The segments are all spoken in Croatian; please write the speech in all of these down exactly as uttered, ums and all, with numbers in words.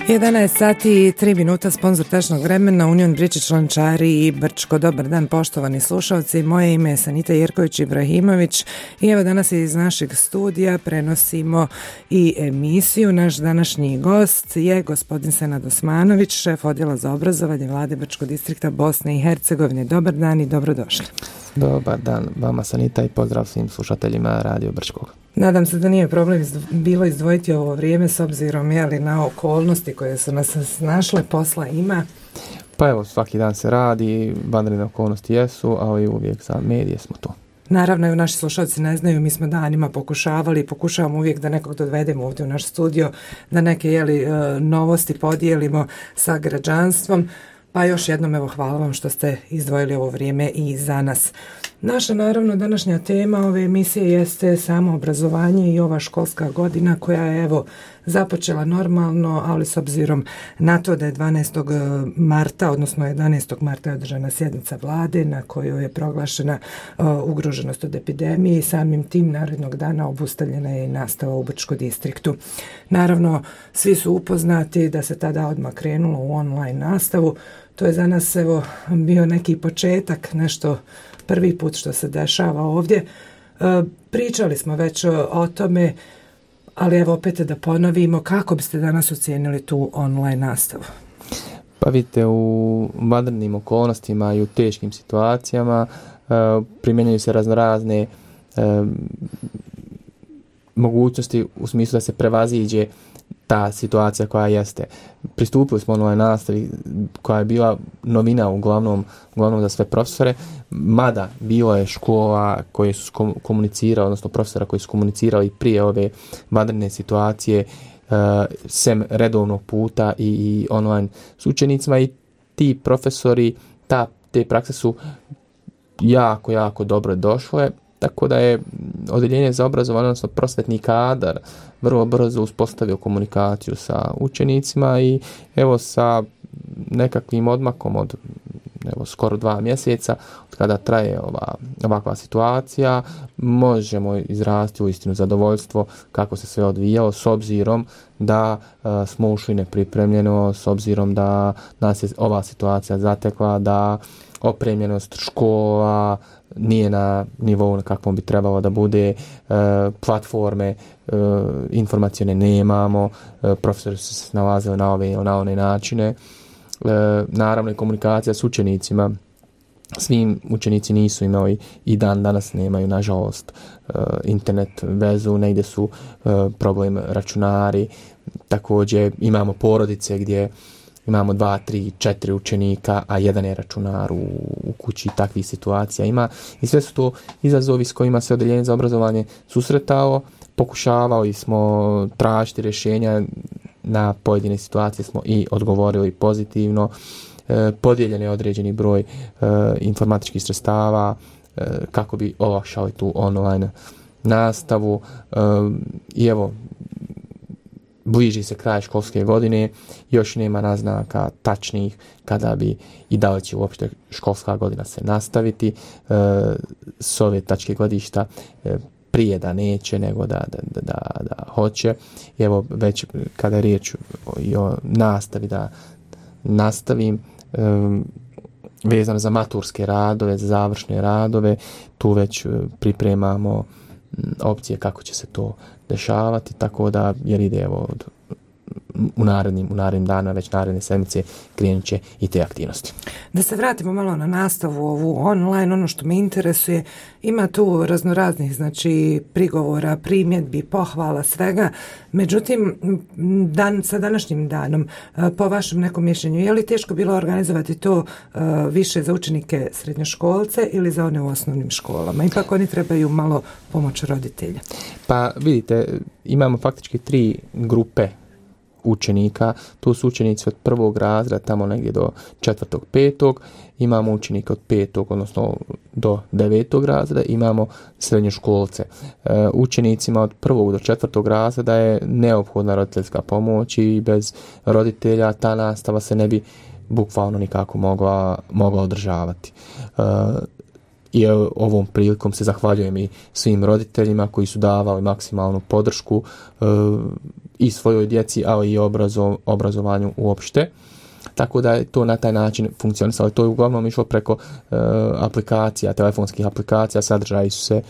jedanaest sati i tri minuta, sponzor tečnog vremena, Union Bričić, Lončari i Brčko. Dobar dan, poštovani slušalci. Moje ime je Sanita Jerković Ibrahimović i evo danas iz našeg studija prenosimo i emisiju. Naš današnji gost je gospodin Senad Osmanović, šef odjela za obrazovanje Vlade Brčkog distrikta Bosne i Hercegovine. Dobar dan i dobrodošli. Dobar dan vama, Sanita, i pozdrav svim slušateljima Radio Brčkog. Nadam se da nije problem bilo izdvojiti ovo vrijeme s obzirom jeli, na okolnosti koje su nas snašle, posla ima. Pa evo, svaki dan se radi, vanredne okolnosti jesu, ali uvijek za medije smo to. Naravno, naši slušalci ne znaju, mi smo danima pokušavali i pokušavamo uvijek da nekog dovedemo ovdje u naš studio, da neke jeli, novosti podijelimo sa građanstvom. Pa još jednom evo hvala vam što ste izdvojili ovo vrijeme i za nas. Naša naravno današnja tema ove emisije jeste samo obrazovanje i ova školska godina koja je evo započela normalno, ali s obzirom na to da je dvanaestog marta, odnosno jedanaestog marta je održana sjednica vlade na kojoj je proglašena uh, ugroženost od epidemije i samim tim narednog dana obustavljena je i nastava u Brčkom distriktu. Naravno, svi su upoznati da se tada odmah krenulo u online nastavu. To je za nas evo bio neki početak, nešto prvi put što se dešava ovdje. E, pričali smo već o tome, ali evo opet da ponovimo, kako biste danas ocijenili tu online nastavu? Pa vidite, u vanrednim okolnostima i u teškim situacijama e, primjenjuju se raznorazne e, mogućnosti u smislu da se prevaziđe ta situacija koja jeste. Pristupili smo online nastavi koja je bila novina uglavnom, uglavnom za sve profesore, mada bilo je škola koje su komunicirali, odnosno profesora koji su komunicirali prije ove vanredne situacije uh, sem redovnog puta i, i online s učenicima, i ti profesori, ta, te prakse su jako, jako dobro došle. Tako da je odjeljenje za obrazovanje, odnosno prosvetni kadar, vrlo brzo uspostavio komunikaciju sa učenicima i evo sa nekakvim odmakom od evo, skoro dva mjeseca od kada traje ova, ovakva situacija, možemo izraziti uistinu zadovoljstvo kako se sve odvijalo, s obzirom da uh, smo ušli nepripremljeno, s obzirom da nas je ova situacija zatekla, da opremljenost škola nije na nivou na kakvom bi trebalo da bude, e, platforme e, informacione nemamo, e, profesori su se nalazili na ove ili na one načine. E, naravno i komunikacija s učenicima, svim učenici nisu imali i dan danas nemaju, nažalost, e, internet vezu, negdje su e, problem računari, također imamo porodice gdje imamo dva, tri, četiri učenika, a jedan je računar u, u kući, takvih situacija ima. I sve su to izazovi s kojima se odjeljenje za obrazovanje susretalo. Pokušavali smo tražiti rješenja, na pojedine situacije smo i odgovorili pozitivno. E, podijeljen je određeni broj e, informatičkih sredstava e, kako bi olakšali tu online nastavu. E, I evo, bliži se kraj školske godine, još nema naznaka tačnih kada bi i da li će uopšte školska godina se nastaviti. E, s ove tačke gledišta e, prije da neće nego da, da, da, da, da hoće. I evo već kada je riječ o, i o nastavi, da nastavim, e, vezano za maturske radove, za završne radove, tu već pripremamo opcije kako će se to dešavati, tako da jer ide evo od, u narednim, u narednim dana, već naredne sedmice krenut će i te aktivnosti. Da se vratimo malo na nastavu ovu online, ono što me interesuje, ima tu raznoraznih znači prigovora, primjedbi, pohvala, svega. Međutim, dan, sa današnjim danom, po vašem nekom mišljenju, je li teško bilo organizovati to uh, više za učenike srednjoškolce ili za one u osnovnim školama? Ipak oni trebaju malo pomoć roditelja. Pa vidite, imamo faktički tri grupe učenika. Tu su učenici od prvog razreda tamo negdje do četvrtog, petog. Imamo učenike od petog, odnosno do devetog razreda. Imamo srednjoškolce. E, učenicima od prvog do četvrtog razreda je neophodna roditeljska pomoć i bez roditelja ta nastava se ne bi bukvalno nikako mogla, mogla održavati. E, I ovom prilikom se zahvaljujem i svim roditeljima koji su davali maksimalnu podršku. E, i svojoj djeci, ali i obrazo, obrazovanju uopšte. Tako da je to na taj način funkcionisalo. To je uglavnom išlo preko uh, aplikacija, telefonskih aplikacija, sadržaji su se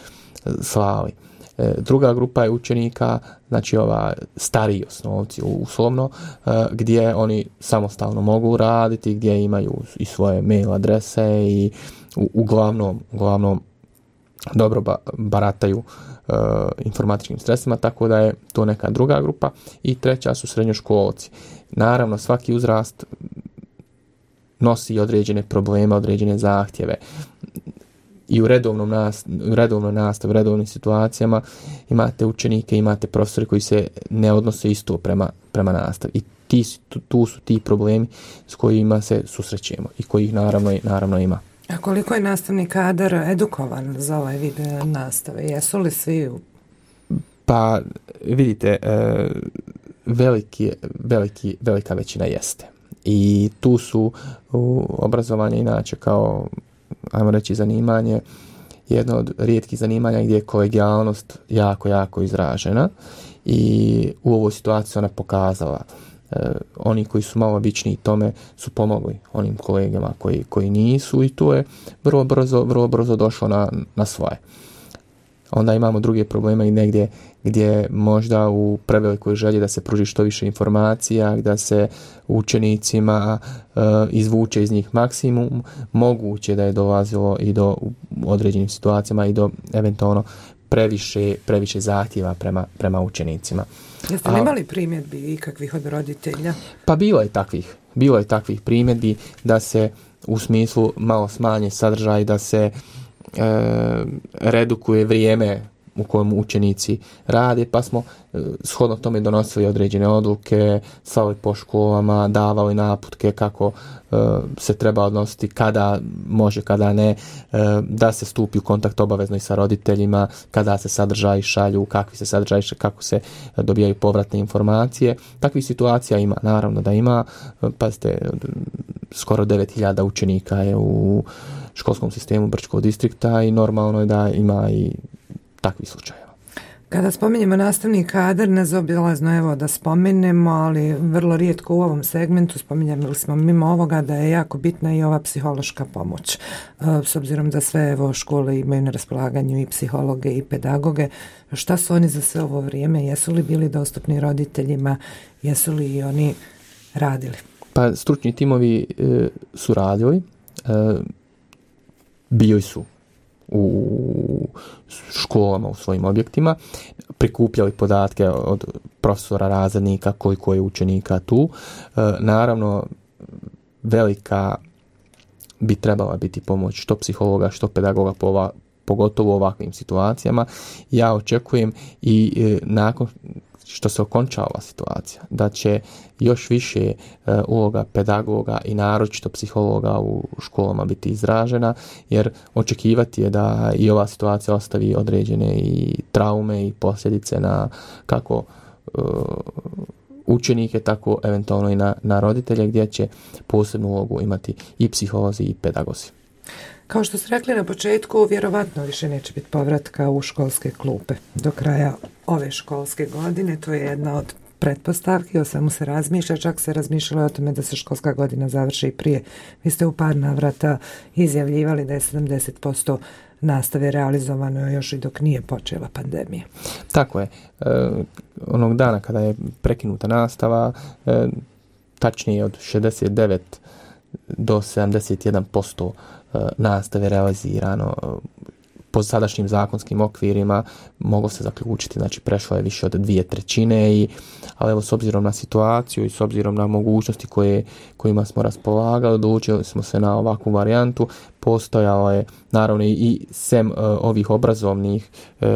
uh, slali. E, druga grupa je učenika, znači ova stariji osnovci uslovno, uh, gdje oni samostalno mogu raditi, gdje imaju i svoje mail adrese i u, uglavnom, uglavnom dobro ba, barataju uh, informatičkim sredstvima, tako da je to neka druga grupa. I treća su srednjoškolci. Naravno, svaki uzrast nosi određene probleme, određene zahtjeve. I u redovnom nast, u redovnoj nastavi, u redovnim situacijama imate učenike, imate profesori koji se ne odnose isto prema, prema nastavi. I ti, tu, tu su ti problemi s kojima se susrećemo i kojih naravno, naravno ima. A koliko je nastavni kadar edukovan za ovaj vid nastave? Jesu li svi? Pa vidite, veliki, veliki, velika većina jeste. I tu su obrazovanje inače kao, ajmo reći, zanimanje, jedno od rijetkih zanimanja gdje je kolegijalnost jako, jako izražena i u ovoj situaciji ona pokazala. Uh, oni koji su malo običniji tome su pomogli onim kolegama koji, koji nisu i to je vrlo brzo, vrlo brzo došlo na, na svoje. Onda imamo druge probleme i negdje gdje možda u prevelikoj želji da se pruži što više informacija, da se učenicima uh, izvuče iz njih maksimum, moguće da je dolazilo i do određenim situacijama i do eventualno previše, previše zahtjeva prema, prema učenicima. Jeste li imali primjedbi ikakvih od roditelja? Pa bilo je takvih. Bilo je takvih primjedbi da se u smislu malo smanje sadržaj, da se e, redukuje vrijeme u kojem učenici rade, pa smo e, shodno tome donosili određene odluke, slali po školama, davali naputke kako e, se treba odnositi, kada može, kada ne, e, da se stupi u kontakt obavezno i sa roditeljima, kada se sadržaji šalju, kakvi se sadržaji šalju, kako se dobijaju povratne informacije. Takvih situacija ima, naravno da ima. Pazite, skoro devet hiljada učenika je u školskom sistemu Brčkog distrikta i normalno je da ima i takvih slučajeva. Kada spominjemo nastavni kadar, nezaobilazno evo da spomenemo, ali vrlo rijetko u ovom segmentu spominjali smo mimo ovoga da je jako bitna i ova psihološka pomoć. S obzirom da sve evo škole imaju na raspolaganju i psihologe i pedagoge, šta su oni za sve ovo vrijeme? Jesu li bili dostupni roditeljima? Jesu li i oni radili? Pa stručni timovi e, su radili, e, bili su u školama, u svojim objektima, prikupljali podatke od profesora, razrednika, koliko je učenika tu. E, naravno, velika bi trebala biti pomoć što psihologa, što pedagoga, po ova, pogotovo u ovakvim situacijama. Ja očekujem i e, nakon što se okonča ova situacija, da će još više e, uloga pedagoga i naročito psihologa u školama biti izražena, jer očekivati je da i ova situacija ostavi određene i traume i posljedice na kako e, učenike, tako eventualno i na, na roditelje, gdje će posebnu ulogu imati i psiholozi i pedagozi. Kao što ste rekli na početku, vjerovatno više neće biti povratka u školske klupe do kraja ove školske godine. To je jedna od pretpostavki, o svemu se razmišlja, čak se razmišljalo o tome da se školska godina završi prije. Vi ste u par navrata izjavljivali da je sedamdeset posto nastave realizovano još i dok nije počela pandemija. Tako je. E, onog dana kada je prekinuta nastava, e, tačnije od šezdeset devet do sedamdeset jedan posto nastave realizirano po sadašnjim zakonskim okvirima, moglo se zaključiti, znači prešlo je više od dvije trećine, i, ali evo s obzirom na situaciju i s obzirom na mogućnosti koje, kojima smo raspolagali, odlučili smo se na ovakvu varijantu. Postojalo je naravno i, i sem uh, ovih obrazovnih uh,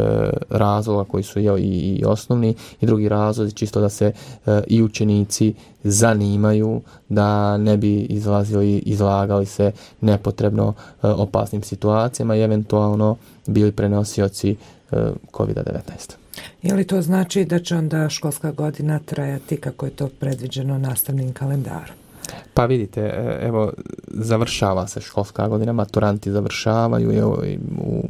razloga koji su jel, i, i osnovni, i drugi razlozi, čisto da se uh, i učenici zanimaju, da ne bi izlazili, izlagali se nepotrebno uh, opasnim situacijama i eventualno bili prenosioci uh, kovid devetnaest. Je li to znači da će onda školska godina trajati kako je to predviđeno nastavnim kalendarom? Pa vidite, evo, završava se školska godina, maturanti završavaju, evo, u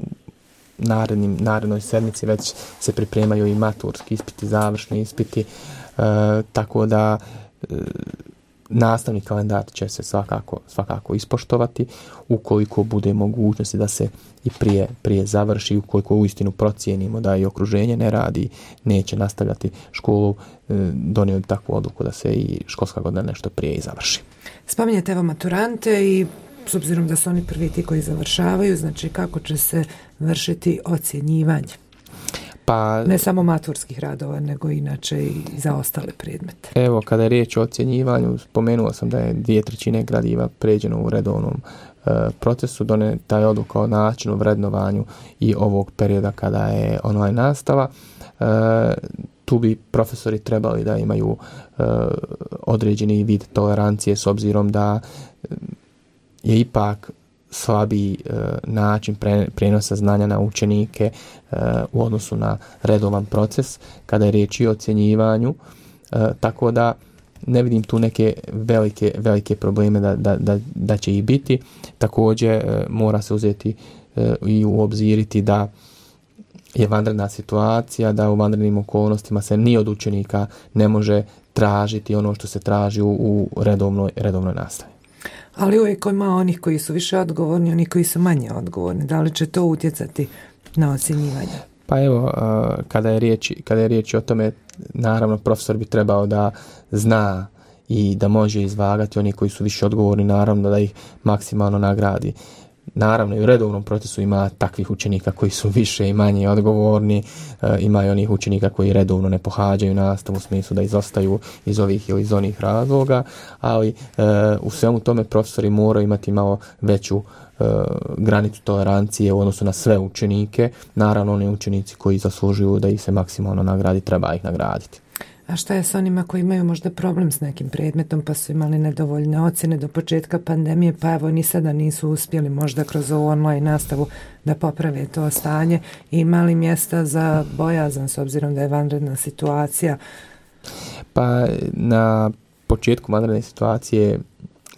narednim, narednoj sedmici već se pripremaju i maturski ispiti, završni ispiti. E, tako da e, nastavni kalendar će se svakako, svakako ispoštovati ukoliko bude mogućnosti da se i prije, prije završi, ukoliko uistinu procijenimo da i okruženje ne radi, neće nastavljati školu, donio bi takvu odluku da se i školska godina nešto prije i završi. Spominjete evo maturante i s obzirom da su oni prvi ti koji završavaju, znači kako će se vršiti ocjenjivanje? Pa, ne samo maturskih radova, nego inače i za ostale predmete. Evo, kada je riječ o ocjenjivanju, spomenuo sam da je dvije trećine gradiva pređeno u redovnom e, procesu, doneta je odluka o načinu, vrednovanju i ovog perioda kada je online nastava. E, tu bi profesori trebali da imaju e, određeni vid tolerancije s obzirom da je ipak slabiji e, način pre, prenosa znanja na učenike e, u odnosu na redovan proces kada je riječ i o ocjenjivanju, e, tako da ne vidim tu neke velike, velike probleme da, da, da, da će ih biti. Također e, mora se uzeti e, i u obziriti da je vanredna situacija, da u vanrednim okolnostima se ni od učenika ne može tražiti ono što se traži u, u redovnoj, redovnoj nastavi. Ali uvijek ima onih koji su više odgovorni, oni koji su manje odgovorni. Da li će to utjecati na ocjenjivanje? Pa evo, kada je riječ, kada je riječ o tome, naravno profesor bi trebao da zna i da može izvagati oni koji su više odgovorni, naravno da ih maksimalno nagradi. Naravno i u redovnom procesu ima takvih učenika koji su više i manje odgovorni, e, ima i onih učenika koji redovno ne pohađaju nastavu u smislu da izostaju iz ovih ili iz onih razloga, ali e, u svemu tome profesori moraju imati malo veću e, granicu tolerancije u odnosu na sve učenike. Naravno oni učenici koji zaslužuju da ih se maksimalno nagradi, treba ih nagraditi. A šta je s onima koji imaju možda problem s nekim predmetom pa su imali nedovoljne ocjene do početka pandemije, pa evo ni sada nisu uspjeli možda kroz ovu online nastavu da poprave to stanje i imali mjesta za bojazan s obzirom da je vanredna situacija? Pa na početku vanredne situacije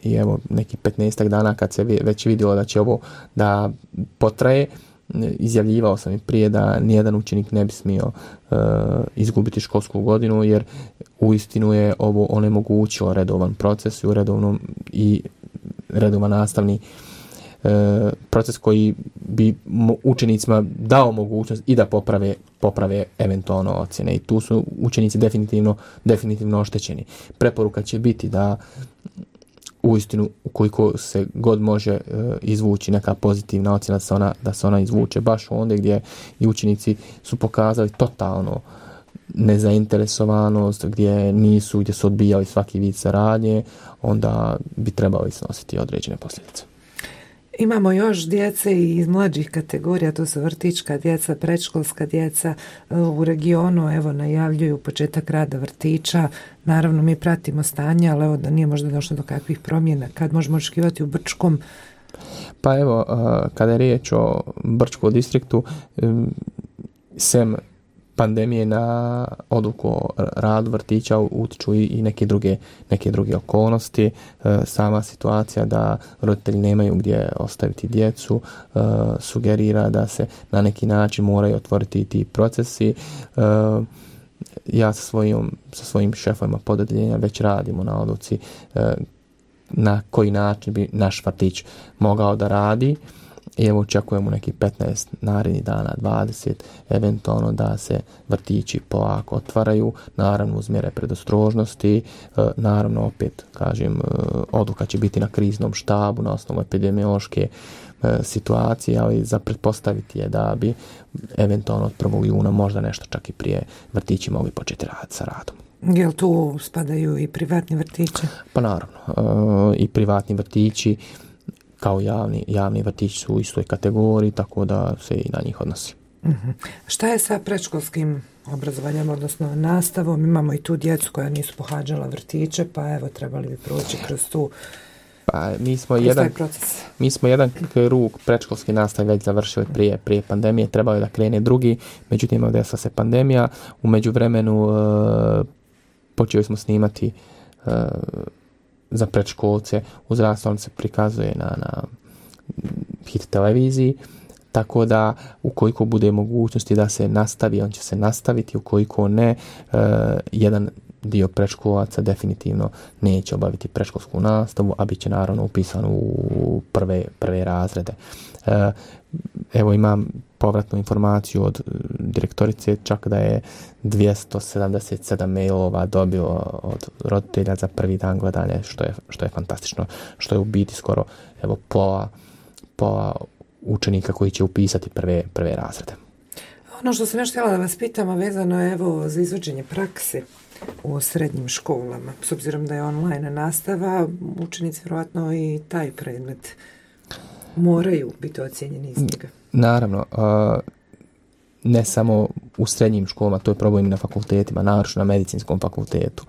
i evo neki petnaestak dana kad se već vidjelo da će ovo da potraje, izjavljivao sam i prije da nijedan učenik ne bi smio uh, izgubiti školsku godinu, jer uistinu je ovo onemogućilo redovan proces i redovnom i redovan nastavni uh, proces koji bi učenicima dao mogućnost i da poprave, poprave eventualno ocjene. I tu su učenici definitivno, definitivno oštećeni. Preporuka će biti da uistinu, ukoliko se god može e, izvući neka pozitivna ocjena, da se ona, da se ona izvuče baš onda gdje i učenici su pokazali totalno nezainteresovanost, gdje nisu, gdje su odbijali svaki vid saradnje, onda bi trebali snositi određene posljedice. Imamo još djece iz mlađih kategorija, to su vrtićka djeca, predškolska djeca u regionu, evo najavljuju početak rada vrtića. Naravno mi pratimo stanje, ali evo da nije možda došlo do kakvih promjena. Kad možemo očekivati u Brčkom? Pa evo, kada je riječ o Brčkom distriktu, sem pandemije na odluku o radu vrtića utiču i neke druge, neke druge okolnosti. E, sama situacija da roditelji nemaju gdje ostaviti djecu e, sugerira da se na neki način moraju otvoriti ti procesi. E, ja sa svojim, sa svojim šefovima podeljenja već radimo na odluci e, na koji način bi naš vrtić mogao da radi. I evo očekujemo neki petnaest narednih dana, dvadeset, eventualno da se vrtići polako otvaraju, naravno uz mjere predostrožnosti, naravno opet, kažem, odluka će biti na kriznom štabu na osnovu epidemiološke situacije, ali za pretpostaviti je da bi eventualno od prvog juna možda nešto čak i prije vrtići mogli početi raditi sa radom. Jel tu spadaju i privatni vrtići? Pa naravno, i privatni vrtići kao javni, javni vrtići su u istoj kategoriji, tako da se i na njih odnosi. Uh-huh. Šta je sa predškolskim obrazovanjem, odnosno nastavom? Imamo i tu djecu koja nisu pohađala vrtiće, pa evo trebali bi proći kroz tu pa, mi smo jedan proces. Mi smo jedan krug predškolske nastave već završili prije, prije pandemije, trebalo je da krene drugi, međutim desila se pandemija, u međuvremenu uh, počeli smo snimati uh, za predškolce, uzrast on se prikazuje na, na Hit televiziji, tako da ukoliko bude mogućnosti da se nastavi, on će se nastaviti, ukoliko ne, uh, jedan dio predškolaca definitivno neće obaviti predškolsku nastavu, a bit će naravno upisan u prve, prve razrede. E, evo imam povratnu informaciju od direktorice, čak da je dvjesto sedamdeset sedam mailova dobilo od roditelja za prvi dan gledanja, što je, što je fantastično, što je u biti skoro evo, pola, pola učenika koji će upisati prve, prve razrede. Ono što sam još htjela da vas pitam, a vezano je evo za izvođenje prakse u srednjim školama. S obzirom da je online nastava, učenici vjerojatno i taj predmet moraju biti ocijenjeni iz njega. Naravno, uh, ne samo u srednjim školama, to je problem i na fakultetima, naročito na medicinskom fakultetu,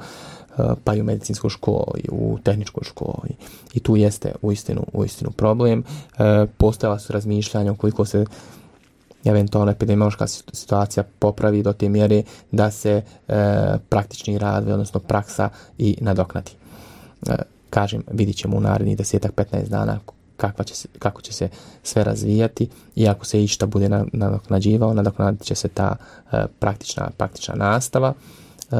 uh, pa i u medicinskoj školi, u tehničkoj školi. I tu jeste uistinu, uistinu problem. Uh, postojala su razmišljanja ukoliko se eventualno epidemiološka situacija popravi do te mjere da se e, praktični rad, odnosno praksa i nadoknadi. E, kažem, vidit ćemo u narednih desetak petnaest dana kakva će se, kako će se sve razvijati i ako se išta bude nadoknađivao, nadoknadit će se ta e, praktična, praktična nastava, e,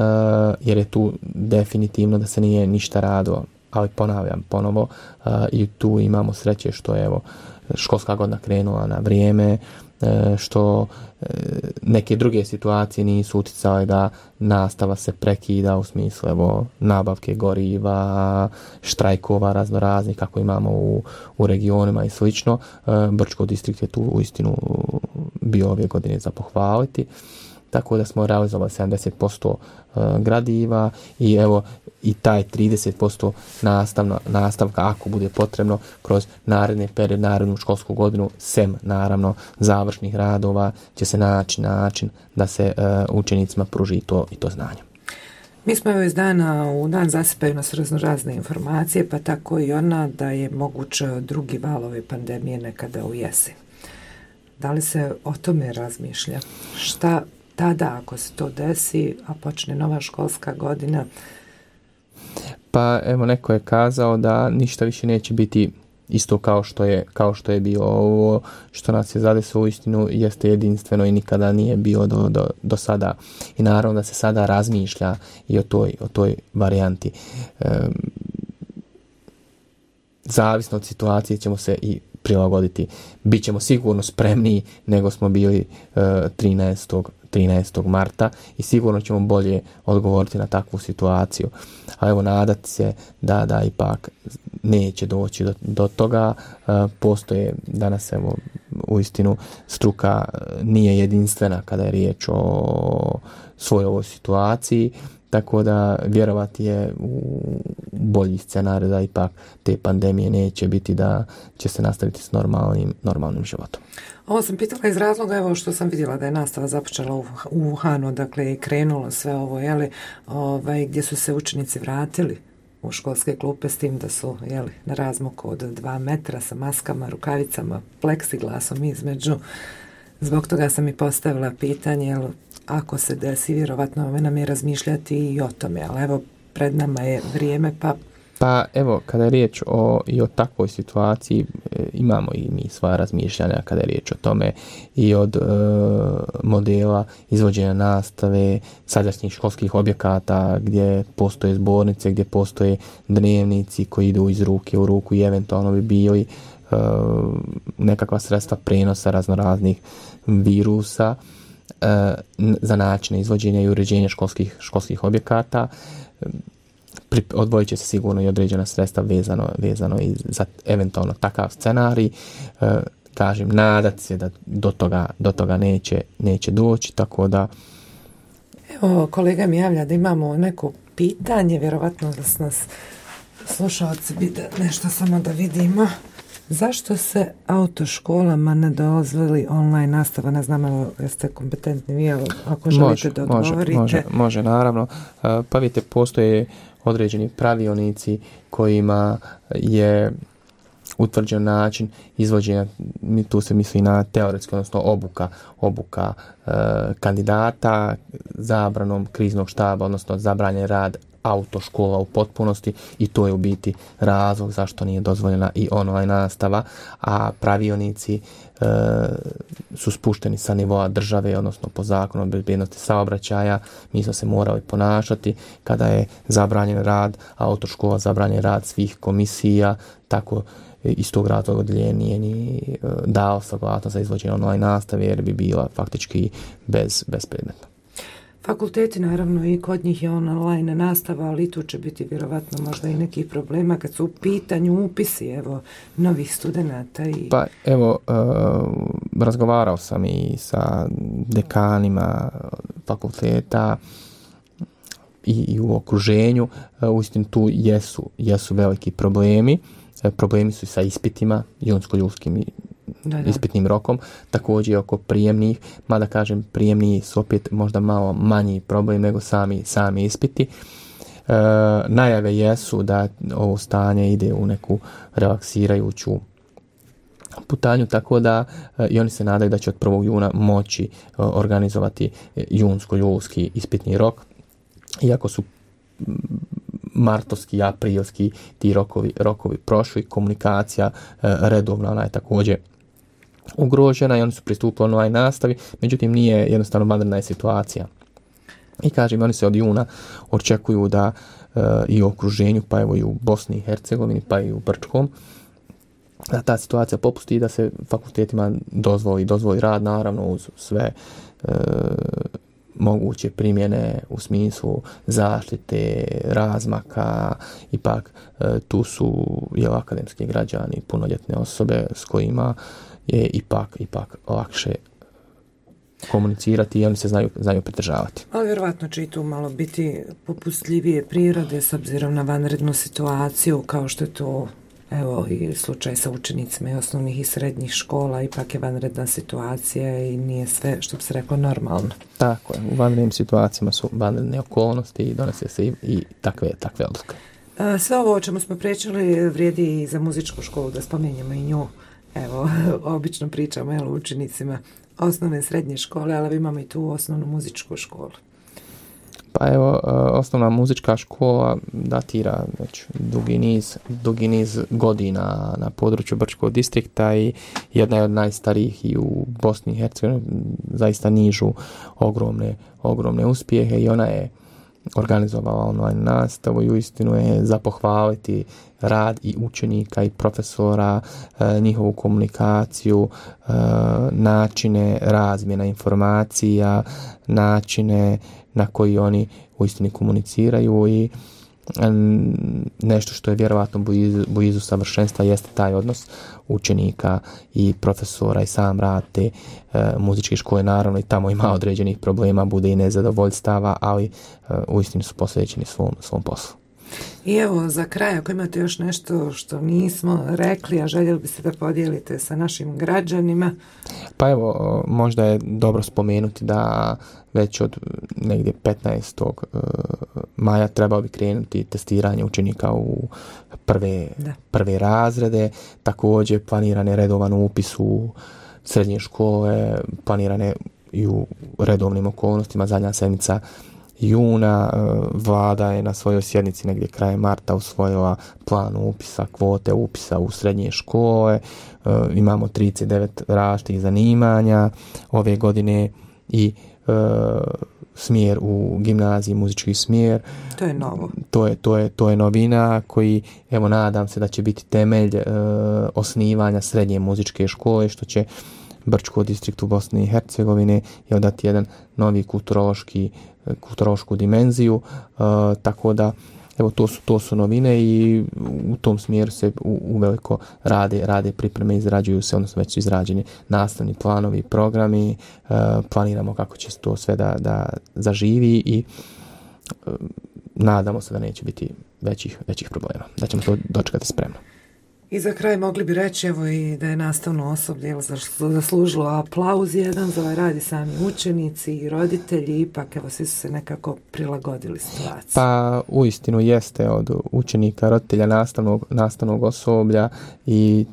jer je tu definitivno da se nije ništa radilo, ali ponavljam ponovo e, i tu imamo sreće što je evo, školska godina krenula na vrijeme, što neke druge situacije nisu uticale da nastava se prekida u smislu evo, nabavke goriva, štrajkova raznoraznih kako imamo u, u regionima i slično. Brčko distrikt je tu uistinu bio ove godine za pohvaliti. Tako da smo realizovali sedamdeset posto gradiva i evo i taj trideset posto nastavno, nastavka ako bude potrebno kroz naredne period, narednu školsku godinu, sem naravno završnih radova će se naći način da se uh, učenicima pruži to i to znanje. Mi smo evo iz dana u dan zasipaju nas razno razne informacije, pa tako i ona da je moguće drugi val ove pandemije nekada u jesen. Da li se o tome razmišlja? Šta tada ako se to desi, a počne nova školska godina? Pa evo neko je kazao da ništa više neće biti isto kao što je, kao što je bilo ovo što nas je zadesilo uistinu jeste jedinstveno i nikada nije bilo do, do, do sada. I naravno da se sada razmišlja i o toj, o toj varijanti. E, zavisno od situacije ćemo se i prilagoditi. Bićemo sigurno spremniji nego smo bili e, trinaestog marta i sigurno ćemo bolje odgovoriti na takvu situaciju. A evo nadati se da, da ipak neće doći do, do toga. E, postoje danas evo uistinu struka nije jedinstvena kada je riječ o svojoj ovoj situaciji. Tako da vjerovati je u bolji scenarij da ipak te pandemije neće biti, da će se nastaviti s normalnim, normalnim životom. Ovo sam pitala iz razloga, evo što sam vidjela da je nastava započela u, u Wuhanu, dakle je krenulo sve ovo, jeli, ovaj, gdje su se učenici vratili u školske klupe s tim da su jeli, na razmaku od dva metra sa maskama, rukavicama, pleksiglasom između. Zbog toga sam i postavila pitanje, jel, ako se desi, vjerovatno nam je razmišljati i o tome, ali evo, pred nama je vrijeme, pa... Pa evo, kada je riječ o, i o takvoj situaciji, e, imamo i mi svoja razmišljanja kada je riječ o tome i od e, modela izvođenja nastave, sadašnjih školskih objekata gdje postoje zbornice, gdje postoje dnevnici koji idu iz ruke u ruku i eventualno bi bili e, nekakva sredstva prenosa raznoraznih virusa za načine izvođenja i uređenja školskih, školskih objekata. Odvojit će se sigurno i određena sredstva vezano, vezano i za eventualno takav scenarij. E, kažem, nadat se da do toga, do toga neće, neće doći, tako da... Evo, kolega mi javlja da imamo neko pitanje, vjerovatno da s nas slušalci vide nešto samo da vidimo. Zašto se autoškolama ne dozvoli online nastava? Ne znam, evo, jeste kompetentni vi, ako želite može, da odgovorite. Može, može, može, naravno. Pa vidite, postoje određeni pravilnici kojima je utvrđen način izvođenja, tu se misli na teoretski, odnosno obuka, obuka e, kandidata, zabranom kriznog štaba, odnosno zabranjen rad autoškola u potpunosti i to je u biti razlog zašto nije dozvoljena i online nastava, a pravilnici e, su spušteni sa nivoa države, odnosno po zakonu o bezbednosti saobraćaja. Mi smo se morali ponašati kada je zabranjen rad autoškola, zabranjen rad svih komisija, tako iz tog razloga odjeljenje nije ni dao saglasnost za izvođenje online nastave jer bi bila faktički bez, bezpredmetna. Fakulteti, naravno, i kod njih je online nastava, ali tu će biti vjerovatno možda i nekih problema kad su u pitanju upisi, evo, novih studenata. I... Pa, evo, uh, razgovarao sam i sa dekanima fakulteta i, i u okruženju. Uh, uistinu tu jesu, jesu veliki problemi. Uh, problemi su i sa ispitima, junsko-ljudskim i Da, da. ispitnim rokom, također i oko prijemnih, mada kažem prijemni su opet možda malo manji problem nego sami, sami ispiti. E, najave jesu da ovo stanje ide u neku relaksirajuću putanju, tako da e, i oni se nadaju da će od prvog juna moći e, organizovati junsko-julski ispitni rok, iako su martovski, aprilski ti rokovi, rokovi prošli, komunikacija e, redovna, ona je također ugrožena i oni su pristupili online nastavi, međutim nije jednostavno vanredna je situacija. I kažem, oni se od juna očekuju da e, i u okruženju, pa evo i u Bosni i Hercegovini, pa i u Brčkom, da ta situacija popusti i da se fakultetima dozvoli, dozvoli rad, naravno uz sve e, moguće primjene u smislu zaštite, razmaka, ipak e, tu su jel, akademski građani, punoljetne osobe s kojima je ipak, ipak lakše komunicirati i oni se znaju, znaju pridržavati. Ali vjerovatno će i tu malo biti popustljivije prirode s obzirom na vanrednu situaciju, kao što je to evo i slučaj sa učenicima i osnovnih i srednjih škola, ipak je vanredna situacija i nije sve, što bi se reklo, normalno. Tako je, u vanrednim situacijama su vanredne okolnosti i donose se i, i takve, takve odluke. Sve ovo o čemu smo pričali vrijedi i za muzičku školu, da spomenjamo i nju. Evo, obično pričamo jel, učenicima osnovne i srednje škole, ali imamo i tu osnovnu muzičku školu. Pa evo, osnovna muzička škola datira već dugi niz, dugi niz godina na području Brčkog distrikta i jedna je od najstarijih i u Bosni i Hercegovini, zaista nižu ogromne, ogromne uspjehe i ona je organizovala online nastavu i uistinu je za pohvaliti rad i učenika i profesora, e, njihovu komunikaciju, e, načine razmjena informacija, načine na koji oni uistinu komuniciraju i nešto što je vjerovatno blizu, blizu savršenstva jeste taj odnos učenika i profesora i sam rad te e, muzičke škole. Naravno i tamo ima određenih problema, bude i nezadovoljstava, ali e, uistinu su posvećeni svom, svom poslu. I evo za kraj, ako imate još nešto što nismo rekli, a željeli biste da podijelite sa našim građanima? Pa evo, možda je dobro spomenuti da već od negdje petnaestog maja trebao bi krenuti testiranje učenika u prve, prve razrede. Također planirane redovan upis u srednje škole, planirane i u redovnim okolnostima. Zadnja sedmica juna, vlada je na svojoj sjednici negdje krajem marta usvojila plan upisa, kvote upisa u srednje škole. E, imamo trideset devet različitih zanimanja ove godine i e, smjer u gimnaziji, muzički smjer. To je novo. To je, to je, to je novina koji, evo, nadam se da će biti temelj e, osnivanja srednje muzičke škole, što će Brčko distriktu Bosne i Hercegovine je dati jedan novi kulturološki kulturološku dimenziju, uh, tako da evo to su to su novine i u tom smjeru se u, u veliko rade rade pripreme, izrađuju se, odnosno već su izrađeni nastavni planovi, programi, uh, planiramo kako će to sve da da zaživi i uh, nadamo se da neće biti većih većih problema, da ćemo to dočekati spremno. I za kraj mogli bi reći evo i da je nastavno osoblje zaslužilo aplauz jedan za ovaj rad i sami učenici i roditelji, ipak evo svi su se nekako prilagodili situaciji. Pa uistinu jeste od učenika, roditelja, nastavnog, nastavnog osoblja i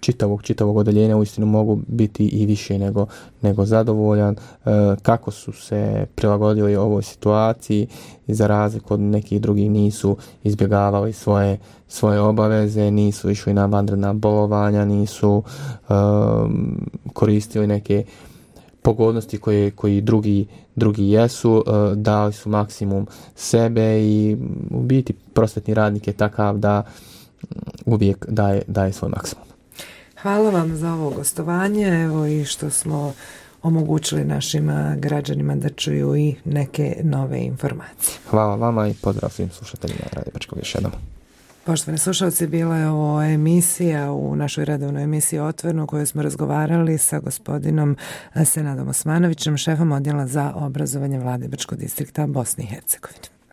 čitavog, čitavog odeljenja uistinu mogu biti i više nego, nego zadovoljan e, kako su se prilagodili ovoj situaciji i za razliku od nekih drugih nisu izbjegavali svoje svoje obaveze, nisu išli na vanredna bolovanja, nisu um, koristili neke pogodnosti koje koji drugi drugi jesu, uh, dali su maksimum sebe i u biti prosvetni radnik je takav da uvijek daje, daje svoj maksimum. Hvala vam za ovo gostovanje, evo i što smo omogućili našim građanima da čuju i neke nove informacije. Hvala vama i pozdrav svim slušateljima Radio Brčkog još jednom. Poštovani slušalci, bila je ovo emisija u našoj redovnoj emisiji Otvoreno u kojoj smo razgovarali sa gospodinom Senadom Osmanovićem, šefom odjela za obrazovanje Vlade Brčkog distrikta Bosne i Hercegovine.